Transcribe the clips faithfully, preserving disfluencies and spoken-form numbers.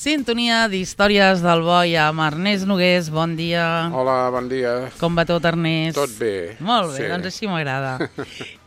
Sintonia d'Històries del Boi amb Ernest Nogués. Bon dia. Hola, bon dia. Com va tot, Ernest? Tot bé. Molt bé, sí. Doncs així m'agrada.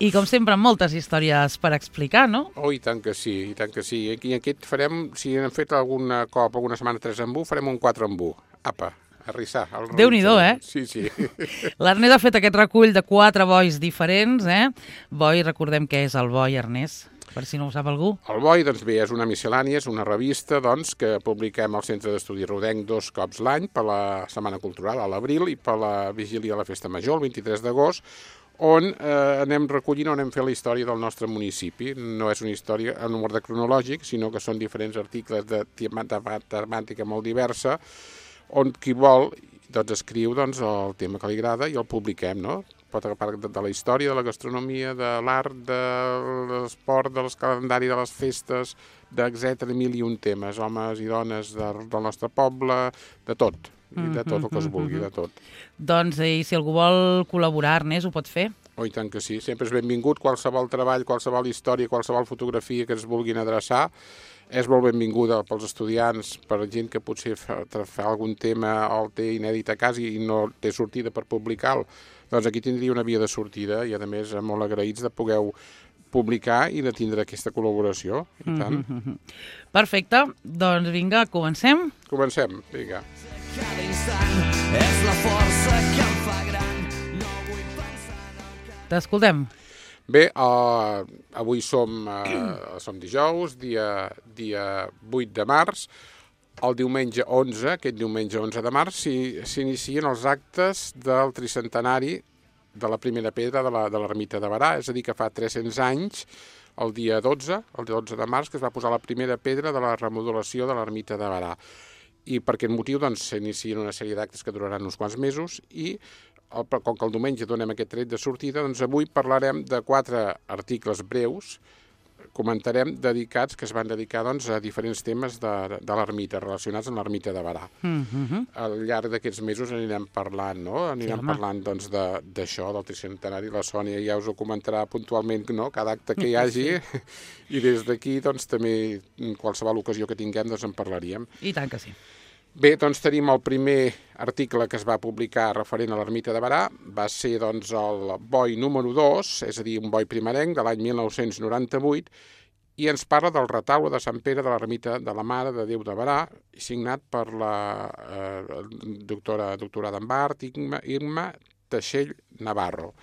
I com sempre, moltes històries per explicar, no? Oh, i tant que sí, i tant que sí. I aquest farem, si hem fet alguna cop, alguna setmana tres en u, farem un quatre en u. Apa, a rissar. Déu-n'hi-do, eh? Sí, sí. L'Ernest ha fet aquest recull de quatre bois diferents, eh? Boi, recordem què és el boi, Ernest, per si no ho sap algú. El Boi, doncs bé, és una miscel·lània, és una revista doncs, que publiquem al Centre d'Estudi Rodenc dos cops l'any, per la Setmana Cultural, a l'abril, i per la vigília de la Festa Major, el vint-i-tres d'agost, on eh, anem recollint, on anem fent la història del nostre municipi. No és una història en un ordre cronològic, sinó que són diferents articles de temàtica molt diversa, on qui vol doncs, escriu doncs, el tema que li agrada i el publiquem, no? Pot agafar de, de la història, de la gastronomia, de l'art, de l'esport, del calendari de les festes, d'etcètera, mil i un temes, homes i dones de, del nostre poble, de tot, i de tot el que es vulgui, de tot. Doncs, i si algú vol col·laborar, Ernest, ho pot fer? Oh, i tant que sí, sempre és benvingut, qualsevol treball, qualsevol història, qualsevol fotografia que ens vulguin adreçar, és molt benvinguda pels estudiants, per gent que potser fa, fa algun tema o el té inèdit a casa i no té sortida per publicar-lo. Doncs aquí tindria una via de sortida i, a més, molt agraïts de poder publicar i de tindre aquesta col·laboració. I tant. Mm-hmm. Perfecte. Doncs vinga, comencem? Comencem, vinga. Cada instant és la força que em fa gran. No vull pensar en el que... T'escoltem. Bé, uh, avui som, uh, som dijous, dia, dia vuit de març. El diumenge onze, aquest diumenge onze de març, s'inicien els actes del tricentenari de la primera pedra de l'ermita de Berà, és a dir, que fa tres-cents anys, el dia dotze, el dotze de març, que es va posar la primera pedra de la remodelació de l'ermita de Berà. I per aquest motiu doncs, s'inicien una sèrie d'actes que duraran uns quants mesos i el, com que el diumenge donem aquest tret de sortida, doncs avui parlarem de quatre articles breus, comentarem dedicats, que es van dedicar doncs, a diferents temes de, de l'ermita, relacionats amb l'ermita de Berà. Mm-hmm. Al llarg d'aquests mesos anirem parlant, no? Anirem sí, parlant doncs, d'això, de, del tricentenari. La Sònia ja us ho comentarà puntualment, no? Cada acte que hi hagi, sí. I des d'aquí doncs, també qualsevol ocasió que tinguem doncs, en parlaríem. I tant que sí. Bé, doncs tenim el primer article que es va publicar referent a l'ermita de Berà, va ser doncs, el boi número dos, és a dir, un boi primerenc de l'any mil nou-cents noranta-vuit, i ens parla del retaule de Sant Pere de l'ermita de la Mare de Déu de Berà, signat per la eh, doctora, doctorada en art, Irma, Irma Teixell Navarro.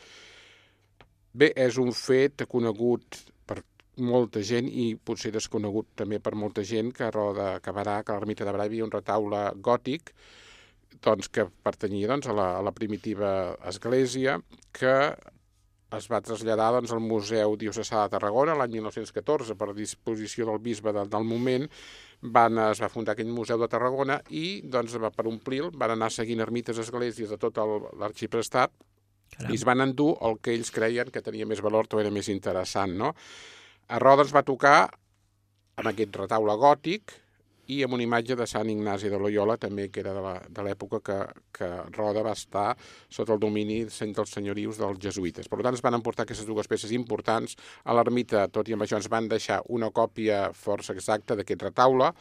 Bé, és un fet conegut per molta gent i potser desconegut també per molta gent que a Roda de Berà, que a l'ermita de Berà hi havia un retaule gòtic doncs, que pertanyia doncs, a, la, a la primitiva església, que es va traslladar doncs, al Museu Diocesà de Tarragona l'any mil nou-cents catorze per disposició del bisbe de, del moment. Van, es va fundar aquell Museu de Tarragona i doncs, per omplir-lo van anar seguint ermites esglésies de tot l'arxiprestat i es van endur el que ells creien que tenia més valor o era més interessant, no? A Roda ens va tocar amb aquest retaule gòtic i amb una imatge de Sant Ignasi de Loyola, també que era de l'època que, que Roda va estar sota el domini dels senyorius dels jesuïtes. Per tant, es van emportar aquestes dues peces importants. A l'ermita, tot i amb això, ens van deixar una còpia força exacta d'aquest retaule,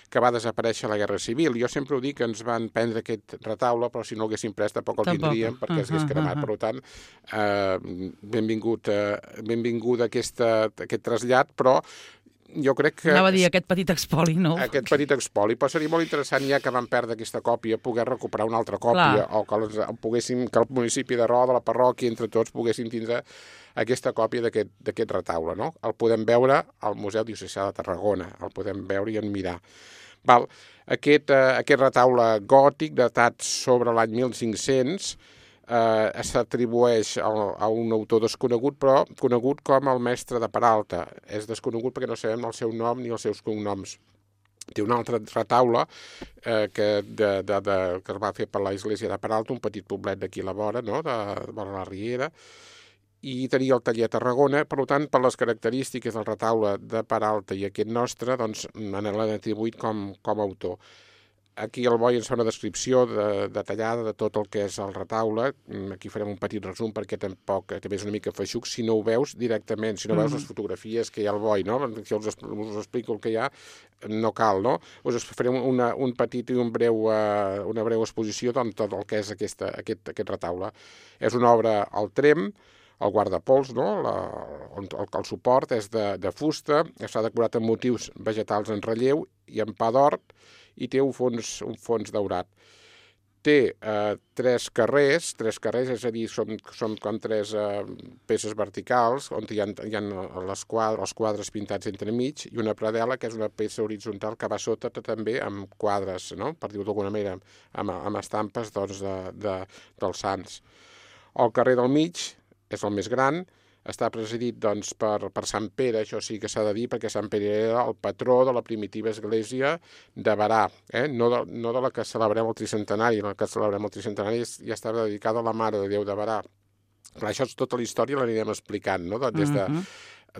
que va desaparèixer a la Guerra Civil. Jo sempre ho dic, que ens van prendre aquest retaule, però si no l'haguéssim pres tampoc el tindríem, perquè es hagués cremat. Per tant, eh, benvingut, eh, benvingut aquest, aquest trasllat, però jo crec que... Anava a dir aquest petit expoli, no? Aquest petit expoli, però seria molt interessant, ja que vam perdre aquesta còpia, poder recuperar una altra còpia, Clar. o que, els, poguéssim, que el municipi de Roda, la parròquia, entre tots, poguéssim tindre aquesta còpia d'aquest retaule, no? El podem veure al Museu Diocesà de Tarragona, el podem veure i admirar. Val. Aquest, eh, aquest retaule gòtic, datat sobre l'any mil cinc-cents, Eh, s'atribueix a, a un autor desconegut, però conegut com el mestre de Peralta. És desconegut perquè no sabem el seu nom ni els seus cognoms. Té un altre retaule eh, que, de, de, de, que es va fer per la església de Peralta, un petit poblet d'aquí a la vora, no? de, de la Riera, i tenia el taller a Tarragona. Per tant, per les característiques del retaule de Peralta i aquest nostre, doncs, l'han atribuït com, com a autor. Aquí el Boi ens fa una descripció de, detallada de tot el que és el retaule. Aquí farem un petit resum perquè tampoc també és una mica feixuc si no ho veus directament, si no veus les fotografies que hi ha al Boi, no? Si us, us explico el que hi ha, no cal, no? Us farem una, un petit i un breu, uh, una breu exposició de tot el que és aquesta, aquest, aquest retaule. És una obra al trem, el guardapols, no? La, el, el suport és de, de fusta, està decorat amb motius vegetals en relleu i en pa d'or, i té un fons, un fons daurat. Té eh, tres carrers, tres carrers, és a dir, són, són com tres eh, peces verticals, on hi ha, hi ha les quadres, els quadres pintats entremig, i una pradela, que és una peça horitzontal que va sota també amb quadres, no? Per dir-ho d'alguna manera, amb, amb estampes doncs, de, de, dels sants. El carrer del mig és el més gran, està presidit doncs, per, per Sant Pere, això sí que s'ha de dir, perquè Sant Pere era el patró de la primitiva església de Berà, eh? no, de, no de la que celebrem el tricentenari, la que celebrem el tricentenari ja estava dedicada a la Mare de Déu de Berà. Clar, això és tota la història, l'anirem explicant, no? Des de, uh-huh.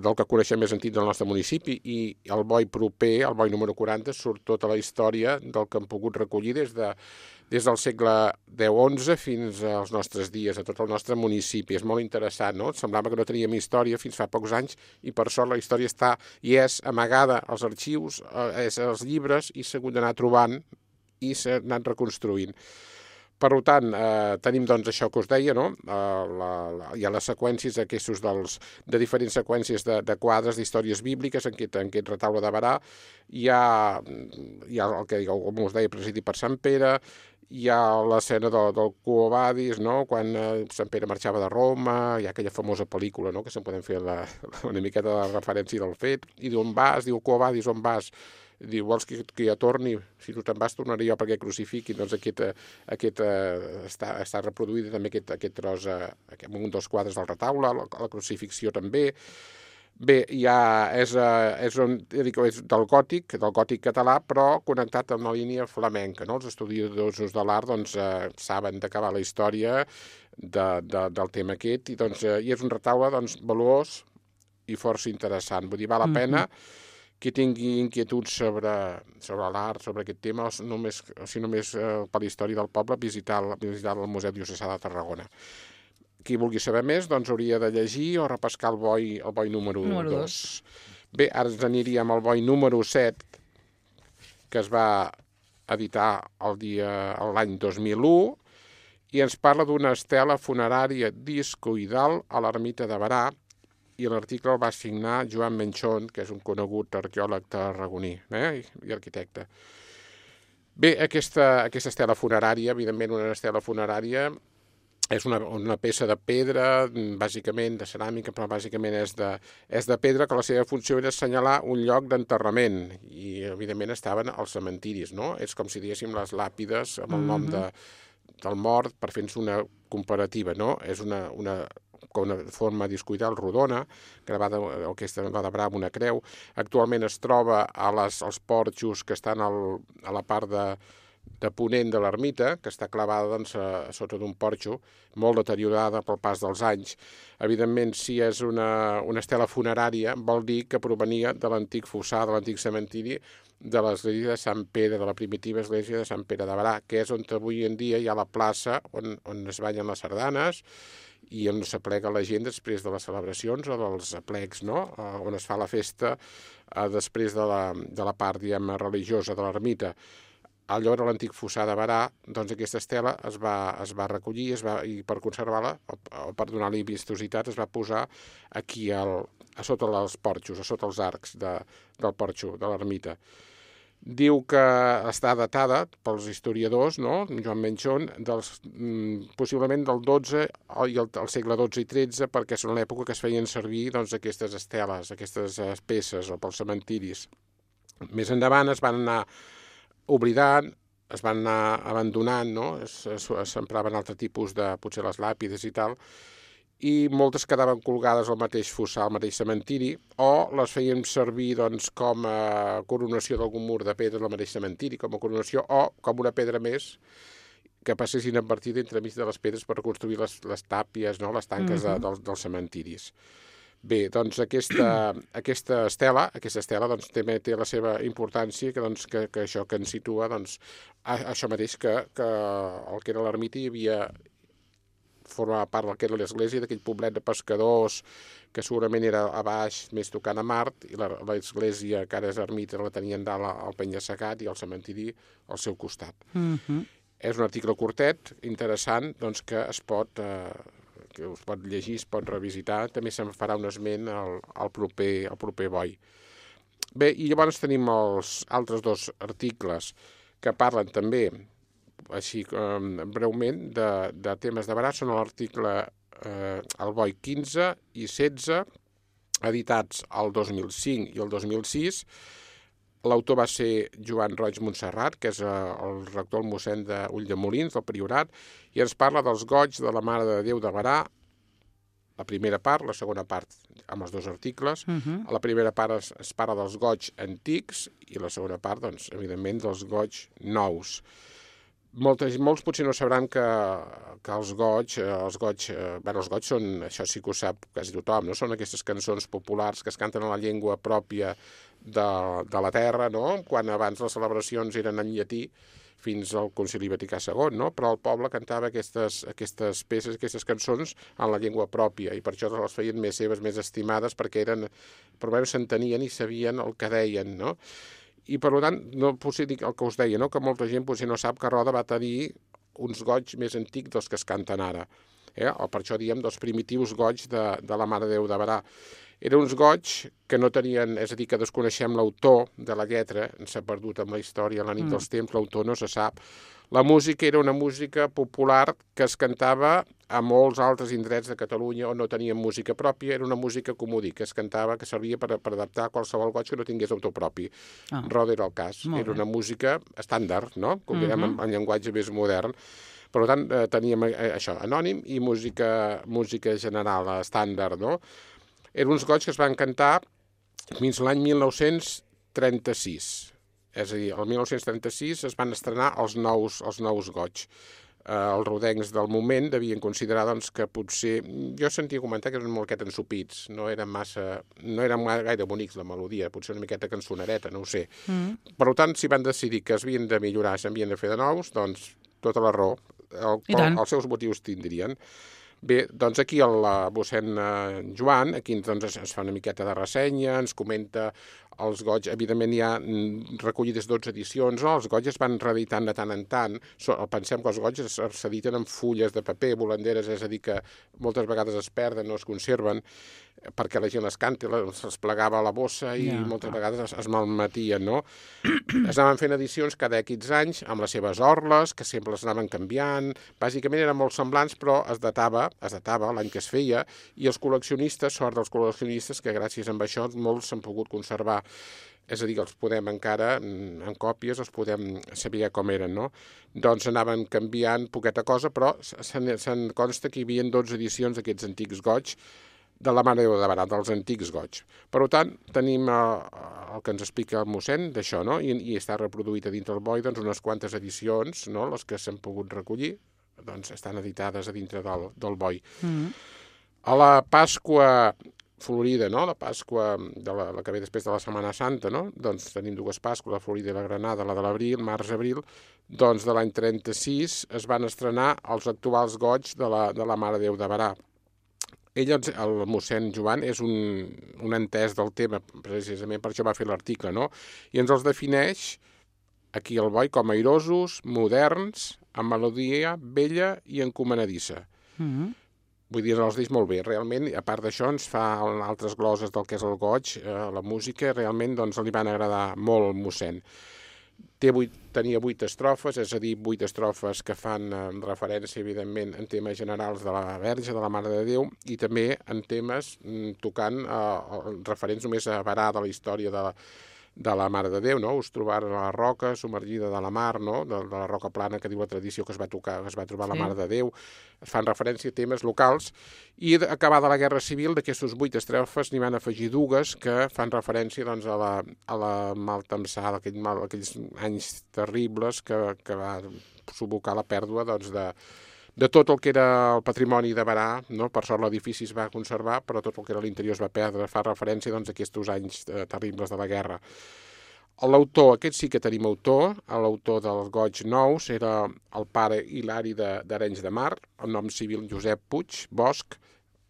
del que coneixem més antic del nostre municipi, i el Boi proper, el Boi número quaranta, surt tota la història del que hem pogut recollir des de des del segle deu onze fins als nostres dies, a tot el nostre municipi. És molt interessant, no? Semblava que no teníem història fins fa pocs anys i per sort la història està i és amagada als arxius, és als llibres i s'ha hagut d'anar trobant i s'ha anat reconstruint. Per tant, eh, tenim doncs això que us deia, no? Eh, la, la, hi ha les seqüències aquests dels, de diferents seqüències de, de quadres d'històries bíbliques en aquest, en aquest retaule de Berà. Hi ha, hi ha el que com us deia, presidit per Sant Pere, hi ha l'escena del, del Quo Vadis, no? Quan eh, Sant Pere marxava de Roma, hi ha aquella famosa pel·lícula, no? Que se'n podem fer la, una miqueta de referència del fet, i d'on vas, diu Quo Vadis, on vas? Diu, vols que, que jo torni? Si tu te'n vas, tornaré jo perquè crucifiquin. Doncs aquest, aquest, eh, està, està reproduït també aquest, aquest tros, eh, aquest, un dels quadres del retaule, la, la crucifixió també. Bé, ja és, és, un, és del gòtic, del gòtic català, però connectat amb la línia flamenca, no? Els estudiosos de l'art doncs, eh, saben d'acabar la història de, de, del tema aquest, i, doncs, eh, i és un retaule doncs, valuós i força interessant. Vull dir, val la pena mm-hmm. qui tingui inquietuds sobre, sobre l'art, sobre aquest tema, o només, o si només eh, per la història del poble, visitar, visitar el Museu Diocesà de Tarragona. Qui vulgui saber més, doncs hauria de llegir o repescar el Boi, el Boi número, número dos. Bé, ara ens aniríem al Boi número set, que es va editar el dia l'any dos mil u, i ens parla d'una estela funerària discoidal a l'ermita de Berà, i l'article el va signar Joan Menchon, que és un conegut arqueòleg tarragoní, eh? I arquitecte. Bé, aquesta, aquesta estela funerària, evidentment una estela funerària, és una, una peça de pedra, bàsicament de ceràmica, però bàsicament és de, és de pedra, que la seva funció era assenyalar un lloc d'enterrament, i evidentment estaven als cementiris, no? És com si diguéssim les làpides amb el nom de, del mort, per fer-nos una comparativa, no? És una, una, una forma discoidal rodona, gravada o aquesta va de Berà amb una creu. Actualment es troba a les, als porxos que estan al, a la part de de ponent de l'ermita, que està clavada doncs, a, a sota d'un porxo, molt deteriorada pel pas dels anys. Evidentment, si és una, una estela funerària, vol dir que provenia de l'antic fossar, de l'antic cementiri, de l'església de Sant Pere, de la primitiva església de Sant Pere de Berà, que és on avui en dia hi ha la plaça on, on es ballen les sardanes i on s'aplega la gent després de les celebracions o dels aplecs, no? On es fa la festa eh, després de la, de la part, diguem, religiosa de l'ermita. Allò era l'antic fossar de Berà, doncs aquesta estela es va, es va recollir es va, i per conservar-la, o, o per donar-li vistositat, es va posar aquí al, a sota els porxos, a sota els arcs de, del porxo, de l'ermita. Diu que està datada pels historiadors, no? Joan Menchon, dels, mm, possiblement del dotze i el, el segle dotze i tretze, perquè són l'època que es feien servir doncs, aquestes esteles, aquestes peces, o pels cementiris. Més endavant es van anar oblidant, es van anar abandonant, no? S'empraven altre tipus de, potser les làpides i tal, i moltes quedaven colgades al mateix fossar, al mateix cementiri, o les feien servir doncs, com a coronació d'algun mur de pedra del mateix cementiri, com a coronació, o com una pedra més que passessin invertida entremig de les pedres per reconstruir les, les tàpies, no? Les tanques uh-huh. de, dels, dels cementiris. Bé, doncs aquesta, aquesta estela, aquesta estela doncs, també té la seva importància, que, doncs, que, que això que ens situa doncs, a, això mateix que, que el que era l'ermita hi havia formava part del que era l'església, d'aquell poblet de pescadors que segurament era a baix, més tocant a Mart, i l'església, que ara és ermita, la tenien dalt al penya-segat i al cementiri al seu costat. Mhm. És un article curtet, interessant, doncs, que es pot, eh, que es pot llegir, es pot revisitar. També se'n farà un esment al, al, proper, al proper boi. Bé, i llavors tenim els altres dos articles que parlen també, així um, breument, de, de temes de Berà. Són l'article eh, el boi quinze i setze, editats el dos mil cinc i el dos mil sis. L'autor va ser Joan Roig Montserrat, que és eh, el rector, el mossèn d'Ulldemolins, del Priorat, i ens parla dels goigs de la Mare de Déu de Berà, la primera part, la segona part amb els dos articles. Mhm. A la primera part es, es parla dels goigs antics i la segona part, doncs, evidentment, dels goigs nous. Moltes, molts potser no sabran que, que els goigs, eh, els goigs, eh, bueno, els goigs són, això sí que ho sap quasi tothom, no? Són aquestes cançons populars que es canten en la llengua pròpia de, de la terra, no? Quan abans les celebracions eren en llatí, fins al Concili Vaticà segon, no? Però el poble cantava aquestes, aquestes peces, aquestes cançons en la llengua pròpia, i per això les feien més seves, més estimades, perquè eren, per almenys s'entenien i sabien el que deien, no? I per tant, no potser dic el que us deia, no? Que molta gent potser no sap que Roda va tenir uns goigs més antics dels que es canten ara. Eh? O per això diem dels primitius goigs de, de la Mare de Déu de Berà. Eren uns goigs que no tenien, és a dir, que desconeixem l'autor de la lletra, s'ha perdut amb la història a la nit mm. dels temps, l'autor no se sap. La música era una música popular que es cantava a molts altres indrets de Catalunya on no tenien música pròpia, era una música comodí, que es cantava, que servia per, per adaptar qualsevol goig que no tingués autor propi. Ah. Roda era el cas, Molt era bé. una música estàndard, no? Com direm Mhm. en, en llenguatge més modern. Per tant, eh, teníem eh, això, anònim i música, música general, estàndard, no? Eren uns goigs que es van cantar fins l'any mil nou-cents trenta-sis. És a dir, el mil nou-cents trenta-sis es van estrenar els nous, els nous goigs. Eh, els rodencs del moment devien considerar doncs, que potser... Jo sentia comentar que eren una miqueta ensupits, no eren massa... no eren gaire bonics la melodia, potser una miqueta cançonereta, no ho sé. Mm. Per tant, si van decidir que es havien de millorar, s'havien de fer de nous, doncs tota la raó. El, I tant. els seus motius tindrien. Bé, doncs aquí el eh, mossèn eh, Joan, aquí doncs, es, es fa una miqueta de ressenya, ens comenta els goigs, evidentment hi ha mm, recollides dotze edicions, no? Els goigs es van reeditant de tant en tant, so, pensem que els goigs s'editen en fulles de paper, volanderes, és a dir, que moltes vegades es perden, no es conserven, perquè la gent les canta, se'ls plegava a la bossa i Ja, moltes clar. vegades es, es malmetien, no? Es anaven fent edicions cada X anys amb les seves orles, que sempre les anaven canviant, bàsicament eren molt semblants, però es datava, es datava l'any que es feia, i els col·leccionistes, sort dels col·leccionistes, que gràcies a això molts s'han pogut conservar. És a dir, que els podem encara, en còpies, els podem saber com eren, no? Doncs anaven canviant poqueta cosa, però se'n se'n consta que hi havia dotze edicions d'aquests antics goigs, de la Mare de Déu de Berà, dels antics goigs. Per tant, tenim eh, el que ens explica el mossèn d'això, no? I, i està reproduït a dintre el boi doncs, unes quantes edicions, no? Les que s'han pogut recollir, doncs estan editades a dintre del, del boi. Mm. A la Pasqua Florida, no? La Pasqua de la, la que ve després de la Setmana Santa, no? Doncs tenim dues Pasques, la Florida i la Granada, la de l'abril, març-abril, doncs de l'any trenta-sis es van estrenar els actuals goigs de la, de la Mare de Déu de Berà. Ell, el mossèn Joan, és un, un entès del tema, precisament per això va fer l'article, no? I ens els defineix aquí al boi com airosos, moderns, amb melodia vella i encomanadissa. Mm. Vull dir, els dic molt bé. Realment, a part d'això, ens fa altres gloses del que és el goig, eh, la música, realment doncs, li van agradar molt al mossèn. Té vuit, tenia vuit estrofes, és a dir, vuit estrofes que fan eh, referència, evidentment, en temes generals de la Verge, de la Mare de Déu, i també en temes mm, tocant eh, referents només a Berà de la història de la, de la Mare de Déu, no? Us trobaren a la roca submergida de la mar, no? De, de la roca plana, que diu la tradició que es va tocar, que es va trobar sí. La Mare de Déu. Es fan referència a temes locals, i acabada la Guerra Civil, d'aquestes vuit estrofes n'hi van afegir dues que fan referència doncs, a la, a la maltemsada, aquell mal, aquells anys terribles que, que va subocar la pèrdua doncs, de de tot el que era el patrimoni de Berà, no? Per sort l'edifici es va conservar, però tot el que era l'interior es va perdre, fa referència doncs, a aquests anys eh, terribles de la guerra. L'autor, aquest sí que tenim autor, l'autor dels Goigs Nous era el pare Hilari d'Arenys de, de Mar, el nom civil Josep Puig Bosch,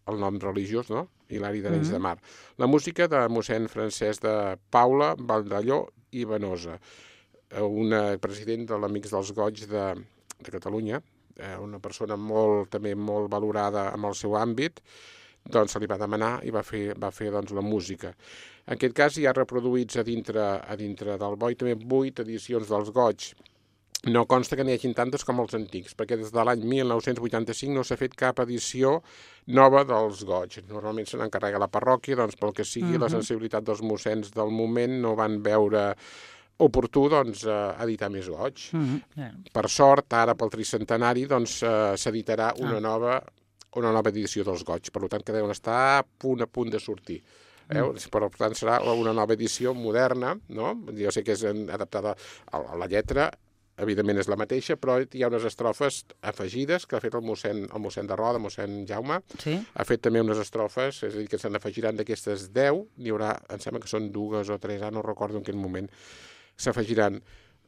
el nom religiós, no? Hilari d'Arenys mm-hmm. de Mar. La música de mossèn Francesc de Paula, Valdelló i Venosa, un president de l'Amics dels Goigs de, de Catalunya, una persona molt, també molt valorada en el seu àmbit, doncs se li va demanar i va fer, va fer doncs, la música. En aquest cas hi ha reproduïts a dintre, a dintre del boi també vuit edicions dels Goigs. No consta que n'hi hagin tantes com els antics, perquè des de l'any mil nou-cents vuitanta-cinc no s'ha fet cap edició nova dels Goigs. Normalment se n'encarrega la parròquia, doncs pel que sigui, uh-huh. la sensibilitat dels mossens del moment no van veure oportú doncs, editar més Goigs. Mm-hmm. Yeah. Per sort, ara pel tricentenari doncs, s'editarà una, ah. nova, una nova edició dels Goigs, per tant que deuen estar a punt a punt de sortir. Eh? Mm. Per tant serà una nova edició moderna, no? Jo sé que és adaptada a la lletra, evidentment és la mateixa, però hi ha unes estrofes afegides que ha fet el mossèn, el mossèn de Roda, el mossèn Jaume, sí? Ha fet també unes estrofes, és a dir, que se n'afegiran d'aquestes deu, n'hi haurà, em sembla que són dues o tres, ara no recordo en quin moment, s'afegiran,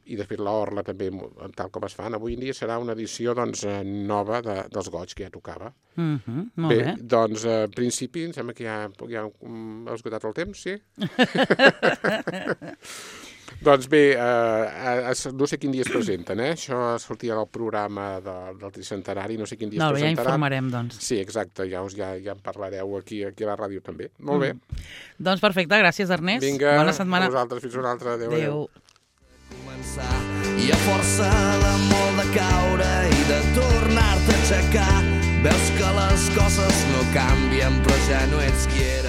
i de fet l'orla també, tal com es fan, avui en dia serà una edició doncs, nova de, dels Goigs, que ja tocava. Mm-hmm, molt bé, bé. Doncs, en principi, em sembla que ja, ja hem esgotat el temps, sí? Doncs bé, eh, no sé quin dia es presenten, eh? Això sortia del programa de, del tricentenari, no sé quin dia no, es presentaran. Ja informarem, doncs. Sí, exacte, ja, us, ja, ja en parlareu aquí, aquí a la ràdio també. Molt bé. Mm. Doncs perfecte, gràcies Ernest. Vinga, bona setmana. A vosaltres, fins una altra. Adéu, adéu. adéu. Començar i a força de molt de caure i de tornar-te a aixecar veus que les coses no canvien però ja no ets qui eres.